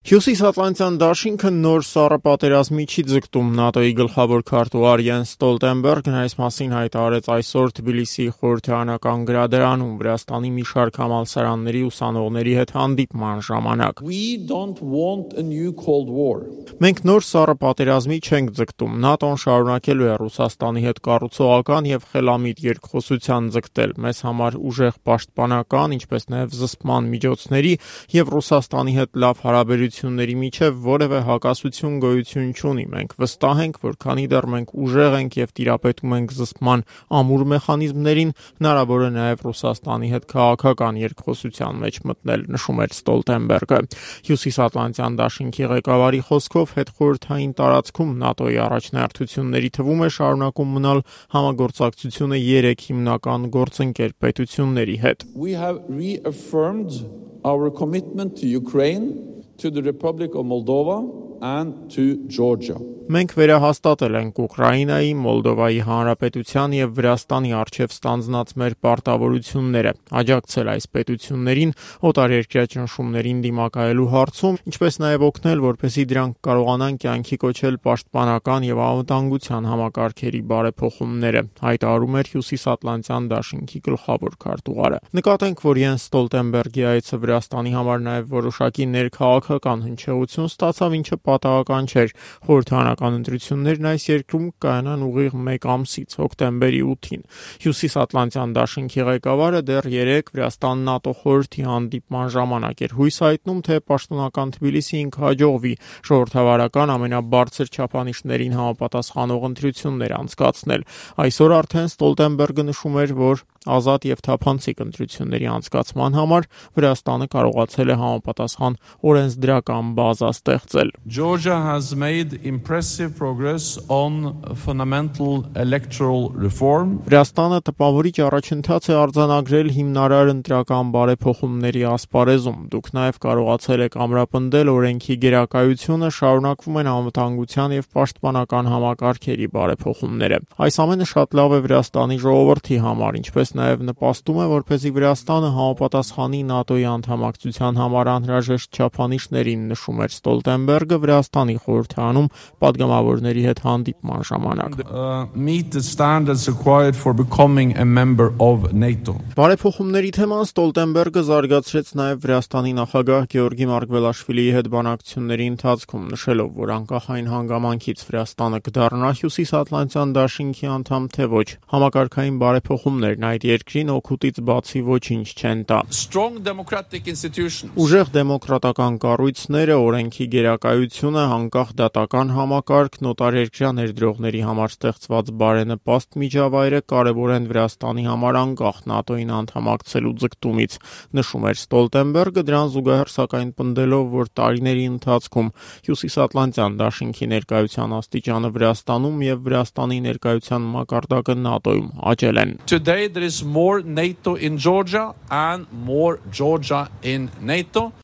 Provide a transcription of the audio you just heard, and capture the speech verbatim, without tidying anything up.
Հյուսիսատլանտյան դաշինքը նոր սառը պատերազմի չի ձգտում։ ՆԱՏՕ-ի գլխավոր քարտուղար Յենս Ստոլտենբերգն այս մասին հայտարարեց այսօր Թբիլիսիի խորհրդարանական գրադարանում Վրաստանի մի շարք համալսարանների ուսանողների հետ հանդիպման ժամանակ։ Մենք նոր սառը պատերազմի չենք ձգտում։ ՆԱՏՕ-ն շարունակելու է Ռուսաստանի հետ կառուցողական եւ խելամիտ երկխոսության ձգտել։ Մեզ համար ուժեղ պաշտպանական, ինչպես նաեւ զսպման միջոցների եւ Ռուսաստանի հետ լավ հարաբերությունների միջև որևէ հակասություն գոյություն չունի։ Մենք վստահ ենք, որ քանի դեռ մենք ուժեղ ենք եւ տիրապետում ենք զսպման ամուր մեխանիզմներին, հնարավոր է նաեւ Ռուսաստանի հետ քաղաքական երկխոսության մեջ մտնել, նշում էր Ստոլտենբերգը։ Հյուսիսատլանտյան դաշինքի ղեկավարի խոսքով հետխորհրդային տարածքում ՆԱՏՕ-ի առաջնահերթությունների թվում է շարունակում մնալ համագործակցությունը երեք հիմնական գործընկեր պետությունների հետ։ We have reaffirmed our commitment to Ukraine, to the Republic of Moldova and to Georgia. Մենք վերահաստատել ենք Ուկրաինայի, Մոլդովայի Հանրապետության եւ Վրաստանի առջև ստանձնած մեր պարտավորությունները, աջակցել այս պետություններին օտարերկրյա ճնշումներին դիմակայելու հարցում, ինչպես նաեւ օգնել, որպեսզի դրանք կարողանան կյանքի կոչել պաշտպանական եւ անվտանգության համակարգերի բարեփոխումները, հայտարարում էր Հյուսիսատլանտյան դաշինքի գլխավոր քարտուղարը։ Նկատենք, որ Յենս Ստոլտենբերգի այցը Վրաստանի համար նաեւ որոշակի ներքաղաքական հնչեղություն ստացավ, ինչը պատահական չէր։ Խորհրդարանական ընտրություններն այս երկրում կայանան ուղիղ մեկ ամսից, հոկտեմբերի ութին։ Հյուսիսատլանտյան դաշինքի ղեկավարը դեռ երեկ Վրաստան-ՆԱՏՕ խորհրդի հանդիպման ժամանակ էր հույս հայտնում, թե պաշտոնական Թբիլիսիին կհաջողվի ժողովրդավարական ամենաբարձր չափանիշներին համապատասխանող ընտրություններ անցկացնել։ Այսօր արդեն Ստոլտենբերգը նշում էր, որ ազատ եւ թափանցիկ ընտրությունների անցկացման համար Վրաստանը կարողացել է համապատասխան օրենսդրական բազա ստեղծել։ Georgia has made impressive progress on fundamental electoral reform. Վրաստանը տպավորիչ առաջընթաց է արձանագրել հիմնարար ընտրական բարեփոխումների ասպարեզում։ Դուք նաեւ կարողացել եք ամրապնդել օրենքի գերակայությունը, շարունակվում են անվտանգության եւ պաշտպանական համակարգերի բարեփոխումները։ Այս ամենը շատ լավ է Վրաստանի ժողովրդի համար, ինչպես նաև նպաստում է, որպեսզի Վրաստանը համապատասխանի ՆԱՏՕ-ի անդամակցության համար անհրաժեշտ չափանիշներին, նշում էր Ստոլտենբերգը Վրաստանի խորհրդարանում պատգամավորների հետ հանդիպման ժամանակ։ Meet the standards required for becoming a member of NATO. Բարեփոխումների թեման Ստոլտենբերգը զարգացրեց նաև Վրաստանի նախագահ Գեորգի Մարգվելաշվիլիի հետ բանակցությունների ընթացքում, նշելով, որ անկախ այն հանգամանքից Վրաստանը կդառնա Հյուսիսատլանտյան դաշինքի անդամ, թե ոչ, համակարգային բարեփոխումներն այդ երկրին օգուտից բացի ոչինչ չեն տա։ Strong democratic institutions. Ուժեղ դեմոկրատական կառույցները, օրենքի գերակայությունը, անկախ դատական համակարգ, նոտարերկրյա ներդրողների համար ստեղծված բարենպաստ միջավայրը կարևոր են Վրաստանի համար անկախ ՆԱՏՕ-ին անդամակցելու ձգտումից, նշում էր Ստոլտենբերգը, դրան զուգահեռ սակայն պնդելով, որ տարիների ընթացքում Հյուսիսատլանտյան դաշինքի ներկայության աստիճանը Վրաստանում եւ Վրաստանի ներկայության մակարդակը ՆԱՏՕ-ում աճել են։ Today there is more NATO in Georgia and more Georgia in NATO.